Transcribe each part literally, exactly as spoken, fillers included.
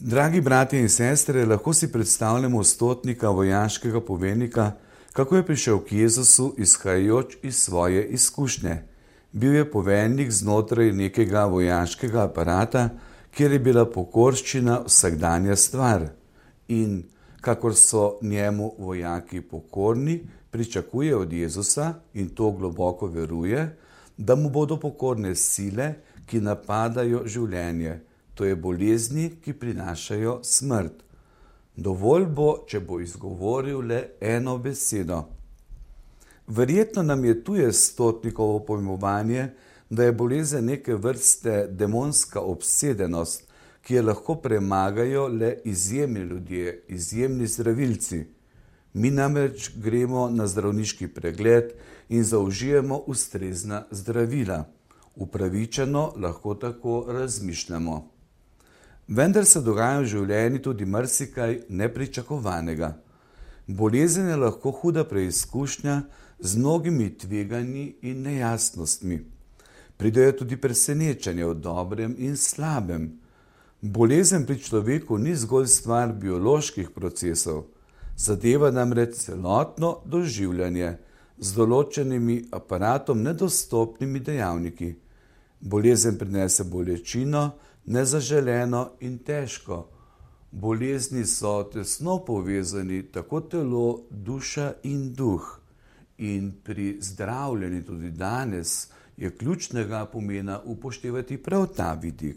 Dragi bratje in sestre, lahko si predstavljamo stotnika, vojaškega poveljnika, kako je prišel k Jezusu, izhajajoč iz svoje izkušnje. Bil je poveljnik znotraj nekega vojaškega aparata, kjer je bila pokorščina vsakdanja stvar. In kakor so njemu vojaki pokorni, pričakuje od Jezusa, in to globoko veruje, da mu bodo pokorne sile, ki napadajo življenje. To je bolezni, ki prinašajo smrt. Dovolj bo, če bo izgovoril le eno besedo. Verjetno nam je tuje stotnikovo pojmovanje, da je bolezen neke vrste demonska obsedenost, ki je lahko premagajo le izjemni ljudje, izjemni zdravilci. Mi namreč gremo na zdravniški pregled in zaužijemo ustrezna zdravila. Upravičeno lahko tako razmišljamo. Vendar se dogaja v življenju tudi marsikaj nepričakovanega. Bolezen je lahko huda preizkušnja z mnogimi tveganji in nejasnostmi. Pridejo tudi presenečenja o dobrem in slabem. Bolezen pri človeku ni zgolj stvar bioloških procesov, zadeva namreč celotno doživljanje z določenimi aparatom nedostopnimi dejavniki. Bolezen prinese bolečino, nezaželeno in težko. Bolezni so tesno povezani tako telo, duša in duh. In pri zdravljenju tudi danes je ključnega pomena upoštevati prav ta vidik.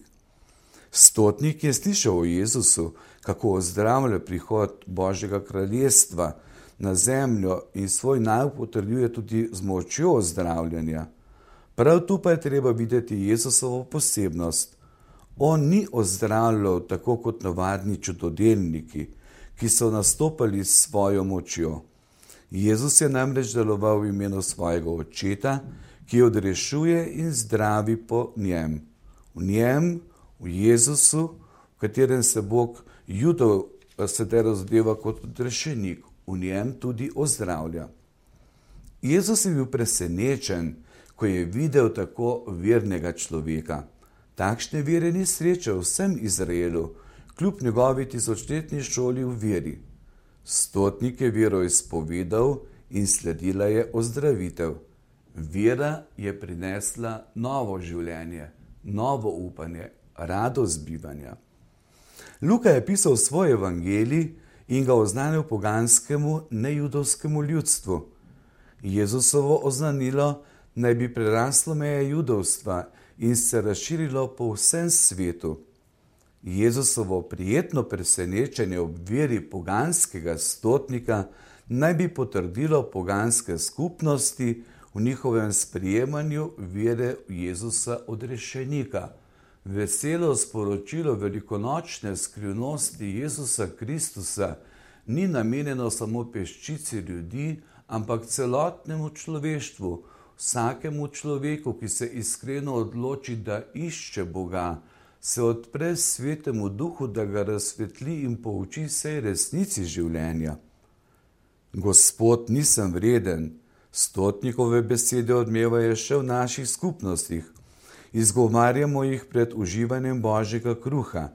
Stotnik je slišal o Jezusu, kako ozdravlja prihod Božjega kraljestva na zemljo in svoj nauk potrjuje tudi z močjo ozdravljanja. Prav tu pa je treba videti Jezusovo posebnost. On ni ozdravljal tako kot navadni čudodelniki, ki so nastopali s svojo močjo. Jezus je namreč deloval v imenu svojega Očeta, ki odrešuje in zdravi po njem. V njem, v Jezusu, v katerem se Bog Judov sedaj razdeva kot odrešenik, v njem tudi ozdravlja. Jezus je bil presenečen, ko je videl tako vernega človeka. Takšne vere ni srečal vsem Izraelu, kljub njegovi tisočletni šoli v veri. Stotnik je vero izpovedal in sledila je ozdravitev. Vera je prinesla novo življenje, novo upanje, radost bivanja. Luka je pisal svoj evangelij in ga oznanil poganskemu, nejudovskemu ljudstvu. Jezusovo oznanilo naj bi preraslo meje judovstva in se razširilo po vsem svetu. Jezusovo prijetno presenečenje ob veri poganskega stotnika naj bi potrdilo poganske skupnosti v njihovem sprejemanju vere v Jezusa odrešenika. Veselo sporočilo velikonočne skrivnosti Jezusa Kristusa ni namenjeno samo peščici ljudi, ampak celotnemu človeštvu, vsakemu človeku, ki se iskreno odloči, da išče Boga, se odpre svetemu duhu, da ga razsvetli in pouči vsej resnici življenja. Gospod, nisem vreden, stotnikove besede odmevajo še v naših skupnostih. Izgovarjamo jih pred uživanjem Božjega kruha.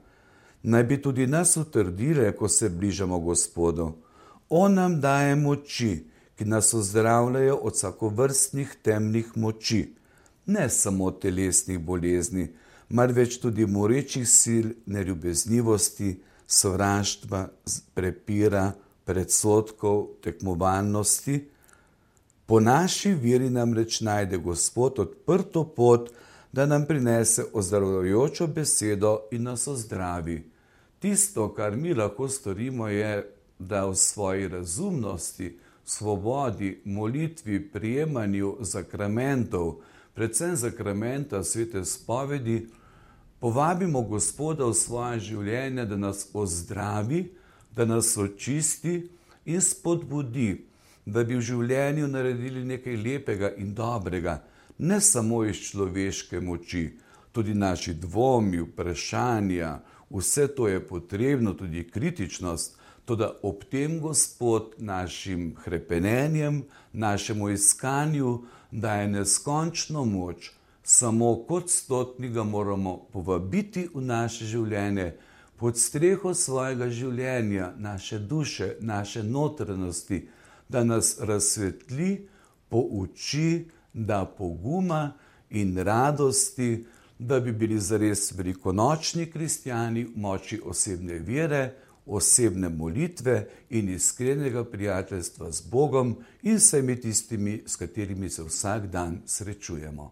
Naj bi tudi nas utrdile, ko se bližamo Gospodu. On nam daje moči, ki nas ozdravljajo od vsakovrstnih temnih moči, ne samo telesnih bolezni, marveč tudi morečih sil, neljubeznivosti, sovraštva, prepira, predsodkov, tekmovalnosti. Po naši veri namreč najde Gospod odprto pot, da nam prinese ozdravljajočo besedo in nas ozdravi. Tisto, kar mi lahko storimo, je, da v svoji razumnosti, svobodi, molitvi, prijemanju zakramentov, predvsem zakramenta svete spovedi, povabimo Gospoda v svoje življenje, da nas ozdravi, da nas očisti in spodbudi, da bi v življenju naredili nekaj lepega in dobrega, ne samo iz človeške moči, tudi naši dvomi, vprašanja, vse to je potrebno, tudi kritičnost, toda ob tem Gospod našim hrepenenjem, našemu iskanju daje neskončno moč. Samo kot stotnik ga moramo povabiti v naše življenje, pod streho svojega življenja, naše duše, naše notranjosti, da nas razsvetli, pouči, da poguma in radosti, da bi bili zares velikonočni kristjani v moči osebne vere, osebne molitve in iskrenega prijateljstva z Bogom in vsemi tistimi, s katerimi se vsak dan srečujemo.